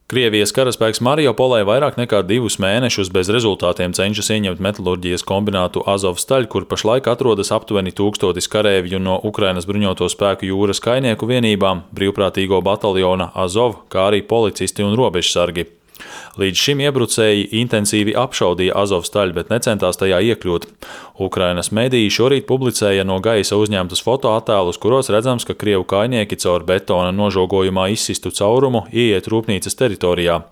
Krievijas karaspēks Mariupolē vairāk nekā 2 mēnešus bez rezultātiem cenšas ieņemt metalurģijas kombinātu Azovstaļ, kur pašlaik atrodas aptuveni 1000 kareivju no Ukrainas bruņoto spēku jūras kainieku vienībām, brīvprātīgo bataljona Azov, kā arī policisti un robežsargi. Līdz šim iebrucēji intensīvi apšaudīja Azovstaļ, bet necentās tajā iekļūt. Ukrainas mediji šorīt publicēja no gaisa uzņemtus fotoattēlus, kuros redzams, ka krievu kainieki caur betona nožogojumā izsistu caurumu ieiet rūpnīcas teritorijā.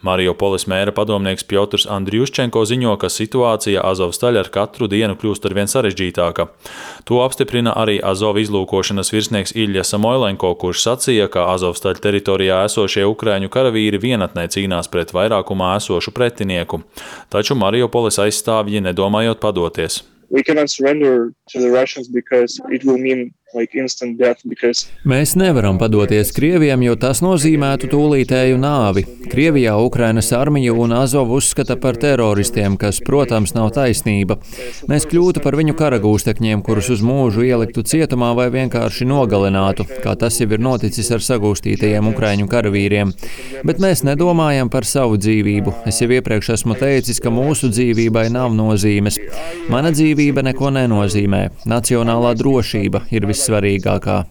Mariupoles mēra padomnieks Pjotrs Andriuščenko ziņo, ka situācija Azovstaļ ar katru dienu kļūst arvien sarežģītāka. To apstiprina arī Azov izlūkošanas virsnieks Ilja Samoilenko, kurš sacīja, ka Azovstaļ teritorijā esošie ukraiņu karavīri vienatnē cīnās pret vairākumā esošu pretinieku, taču Mariupoles aizstāvji nedomājot padoties. Mēs nevaram padoties Krieviem, jo tas nozīmētu tūlītēju nāvi. Krievijā Ukrainas armiju un Azov uzskata par teroristiem, kas, protams, nav taisnība. Mēs kļūtu par viņu karagūstekņiem, kurus uz mūžu ieliktu cietumā vai vienkārši nogalinātu, kā tas jau ir noticis ar sagūstītajiem ukraiņu karavīriem. Bet mēs nedomājam par savu dzīvību. Es jau iepriekš esmu teicis, ka mūsu dzīvībai nav nozīmes. Mana dzīvība neko nenozīmē. Nacionālā drošība ir vissvarīgākā.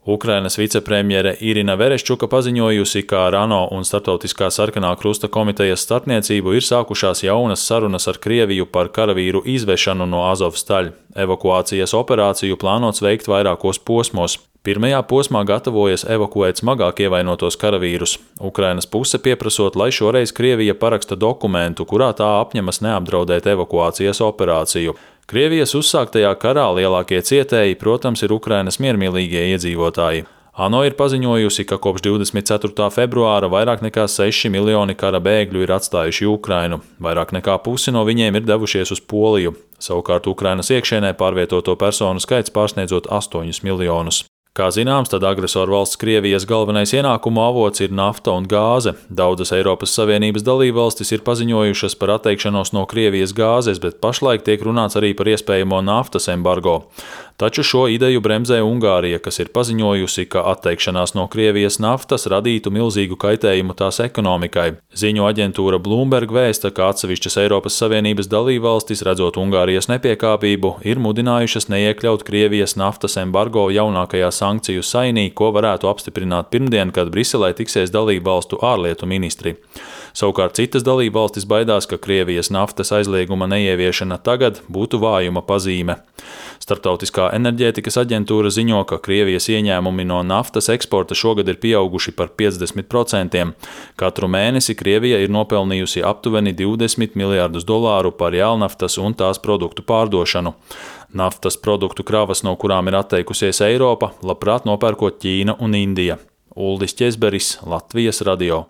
Ukrainas vicepremjere Irina Vereščuka paziņojusi, ka ar ANO un Starptautiskā sarkanā krusta komitejas starpniecību ir sākušās jaunas sarunas ar Krieviju par karavīru izvešanu no Azovstaļ. Evakuācijas operāciju plānots veikt vairākos posmos. Pirmajā posmā gatavojas evakuēt smagāk ievainotos karavīrus. Ukrainas puse pieprasot, lai šoreiz Krievija paraksta dokumentu, kurā tā apņemas neapdraudēt evakuācijas operāciju. Krievijas uzsāktajā karā lielākie cietēji, protams, ir Ukrainas miermīlīgie iedzīvotāji. ANO ir paziņojusi, ka kopš 24. februāra vairāk nekā 6 miljoni kara bēgļu ir atstājuši Ukrainu. Vairāk nekā pusi no viņiem ir devušies uz Poliju. Savukārt Ukrainas iekšienē pārvietoto personu skaits pārsniedzot 8 miljonus. Kā zināms, tad agresoru valsts Krievijas galvenais ienākumu avots ir nafta un gāze. Daudzas Eiropas Savienības dalībvalstis ir paziņojušas par atteikšanos no Krievijas gāzes, bet pašlaik tiek runāts arī par iespējamo naftas embargo. Taču šo ideju bremzē Ungārija, kas ir paziņojusi, ka atteikšanās no Krievijas naftas radītu milzīgu kaitējumu tās ekonomikai. Ziņu aģentūra Bloomberg vēsta, ka atsevišķas Eiropas Savienības dalībvalstis, redzot Ungārijas nepiekāpību, ir mudinājušas neiekļaut Krievijas naftas embargo jaunākajā sankciju sainī, ko varētu apstiprināt pirmdien, kad Briselē tiksies dalībvalstu ārlietu ministri. Savukārt citas dalībvalstis baidās, ka Krievijas naftas aizlieguma neieviešana tagad būtu vājuma pazīme. Starptautiskā enerģētikas aģentūra ziņo, ka Krievijas ieņēmumi no naftas eksporta šogad ir pieauguši par 50%. Katru mēnesi Krievija ir nopelnījusi aptuveni $20 miljardus par jēlnaftas un tās produktu pārdošanu. Naftas produktu kravas, no kurām ir atteikusies Eiropa, labprāt nopērkot Ķīna un Indija. Uldis Ķezberis, Latvijas radio.